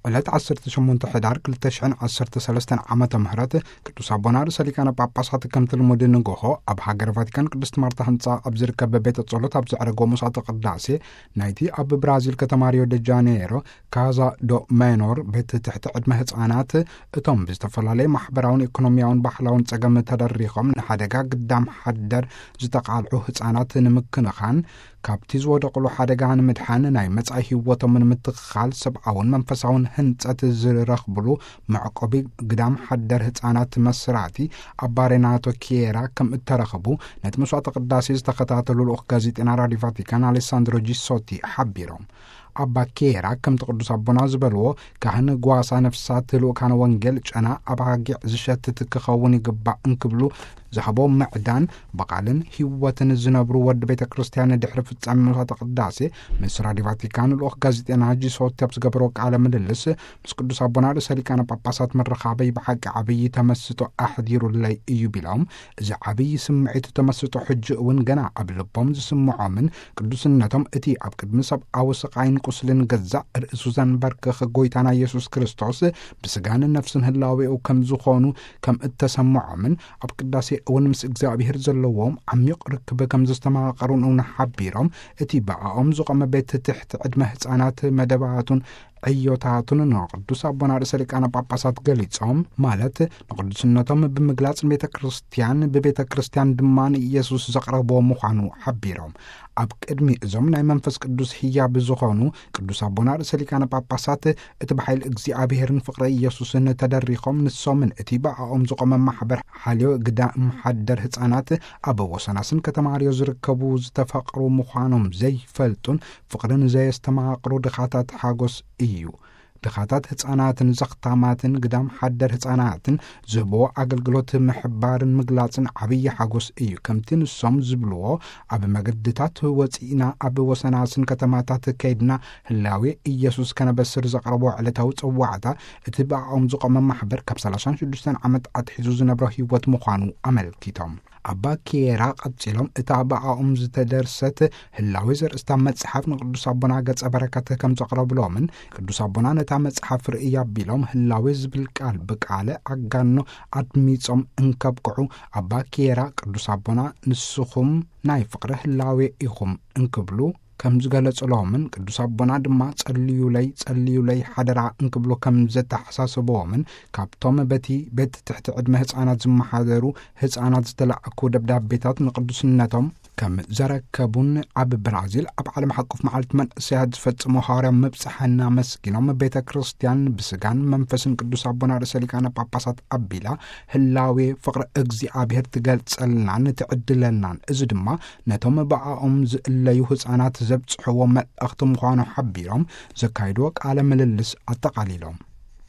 ዕለት ዓሰርተ ሸሞንተ ሕዳር ክልተ ሽሕን ዓሰርተ ሰለስተን ዓመተ ምህረት ቅዱስ ኣቦና ርእሰ ሊቃነ ጳጳሳት ከምቲ ልሙድ ንግሆ ኣብ ሃገረ ቫቲካን ቅድስት ማርታ ህንጻ ኣብ ዝርከብ ቤተ ጸሎት ኣብ ዘዕረጎ መስዋዕተ ቅዳሴ ናይቲ ኣብ ብራዚል ከተማ ሪዮ ደ ጃኔሮ ካዛ ዶ ሜኖር ቤት ትሕቲ ዕድመ ህጻናት እቶም ብዝተፈላለየ ማሕበራውን ኢኮኖሚያውን ባህላውን ጸገም ተደሪኾም ንሓደጋ ግዳም ሓደር ዝተቓልዑ ህጻናት ንምክንኻን ካብቲ ዝወደቕሉ ሓደጋ ንምድሓን ናይ መጻኢ ህይወቶም ንምትኽኻል ሰብኣውን መንፈሳውን ህንጸት ዝረኽብሉ መዕቆቢ ግዳም ሓደር ህጻናት መስራቲ ኣባ ሬናቶ ኪየራ ከም እተረኽቡ ነቲ መስዋዕተ ቅዳሴ ዝተኸታተሉ ልኡኽ ጋዜጠና ራዲዮ ቫቲካን ኣሌሳንድሮ ጂሶቲ ሓቢሮም። ኣባ ኪየራ ከምቲ ቅዱስ ኣቦና ዝበልዎ ካህን ጓሳ ነፍሳት ልኡካነ ወንጌል ጨና ኣባጊዕ ዝሸትት ክኸውን ይግባእ እንክብሉ ዝሃቦ ምዕዳን ብቓልን ህይወትን ዝነብሩ ወዲ ቤተ ክርስቲያን ድሕሪ ፍጻሜ መስዋዕተ ቅዳሴ ምስ ራዲዮ ቫቲካን ልኡኽ ጋዜጠና ጂሶቲ ኣብ ዝገበሮ ቃለ ምልልስ ምስ ቅዱስ ኣቦና ርእሰ ሊቃነ ጳጳሳት ምርኻበይ ብሓቂ ዓብዪ ተመስጦ ኣሕዲሩለይ እዩ ቢሎም፣ እዚ ዓብዪ ስምዒት ተመስጦ ሕጂ እውን ገና ኣብ ልቦም ዝስምዖምን ቅዱስነቶም እቲ ኣብ ቅድሚ ሰብኣዊ ስቓይን ቁስልን ገዛእ ርእሱ ዘንበርክኽ ጎይታና ኢየሱስ ክርስቶስ ብስጋን ነፍስን ህላዌኡ ከም ዝኾኑ ከም እተሰምዖምን ኣብ ቅዳሴ እውን ምስ እግዚኣብሔር ዘለዎም ዓሚቕ ርክብ ከም ዘስተማቐሩን እውን ሓቢሮም፣ እቲ ብኣኦም ዝቖመ ቤት ትሕቲ ዕድመ ህፃናት መደባቱን ዕዮታቱን ንቅዱስ ኣቦና ርእሰ ሊቃነ ጳጳሳት ገሊጾም፣ ማለት ንቅዱስነቶም ብምግላጽ ንቤተ ክርስቲያን ብቤተ ክርስቲያን ድማ ንኢየሱስ ዘቕረብዎ ምዃኑ ሓቢሮም። ኣብ ቅድሚ እዞም ናይ መንፈስ ቅዱስ ህያብ ዝኾኑ ቅዱስ ኣቦና ርእሰ ሊቃነ ጳጳሳት እቲ ብሓይሊ እግዚኣብሔርን ፍቕሪ ኢየሱስን ተደሪኾም ንሶምን እቲ ብኣኦም ዝቖመ ማሕበር ሓልዮ ግዳም ሓደር ህፃናት ኣብ ወሰናስን ከተማ ሪዮ ዝርከቡ ዝተፈቕሩ ምዃኖም ዘይፈልጡን ፍቕርን ዘየስተማቕሩ ድኻታት ሓጎስ እዩ። ድኻታት ህፃናትን ዘኽታማትን ግዳም ሓደር ህፃናትን ዝህብዎ ኣገልግሎት ምሕባርን ምግላጽን ዓብዪ ሓጎስ እዩ። ከምቲ ንሶም ዝብልዎ ኣብ መገድታት ወፂእና ኣብ ወሰናስን ከተማታት ከይድና ህላዌ ኢየሱስ ከነበስር ዘቕረቦ ዕለታዊ ጽዋዕታ እቲ ብኣኦም ዝቖመ ማሕበር ካብ ሰላሳን ሽዱሽተን ዓመት ኣትሒዙ ዝነብሮ ህይወት ምዃኑ ኣመልኪቶም። ኣባ ኪየራ ቀጺሎም እታ ብኣኦም ዝተደርሰት ህላዌ ዘርእስታ መጽሓፍ ንቅዱስ ኣቦና ገጸ በረከት ከም ዘቕረብሎምን ቅዱስ ኣቦና ነታ መጽሓፍ ርእይ ኣቢሎም ህላዌ ዝብል ቃል ብቃለ ኣጋኖ ኣድሚጾም እንከብቅዑ ኣባ ኪየራ ቅዱስ ኣቦና ንስኹም ናይ ፍቕሪ ህላዌ ኢኹም እንክብሉ ከም ዝገለጽሎምን ቅዱስ ኣቦና ድማ ጸልዩለይ ጸልዩለይ ሓደራ እንክብሉ ከም ዘተሓሳስብዎምን ካብቶም በቲ ቤት ትሕቲ ዕድመ ህፃናት ዝመሓደሩ ህፃናት ዝተላእኩ ደብዳቤታት ንቅዱስነቶም ከም ዘረከቡን ኣብ ብራዚል ኣብ ዓለም ሓቆፍ መዓልቲ መንእሰያት ዝፈጽሞ ሃዋርያ ምብጻሕ እናመስጊኖም ቤተ ክርስቲያን ብስጋን መንፈስን ቅዱስ ኣቦና ርእሰ ሊቃነ ጳጳሳት ኣቢላ ህላዌ ፍቕሪ እግዚኣብሔር ትገልጸልናን ትዕድለናን፣ እዚ ድማ ነቶም ብኣኦም ዝእለዩ ህፃናት ዘብጽሕዎ መልእኽቲ ምዃኑ ሓቢሮም ዘካይድዎ ቃለ ምልልስ ኣጠቓሊሎም።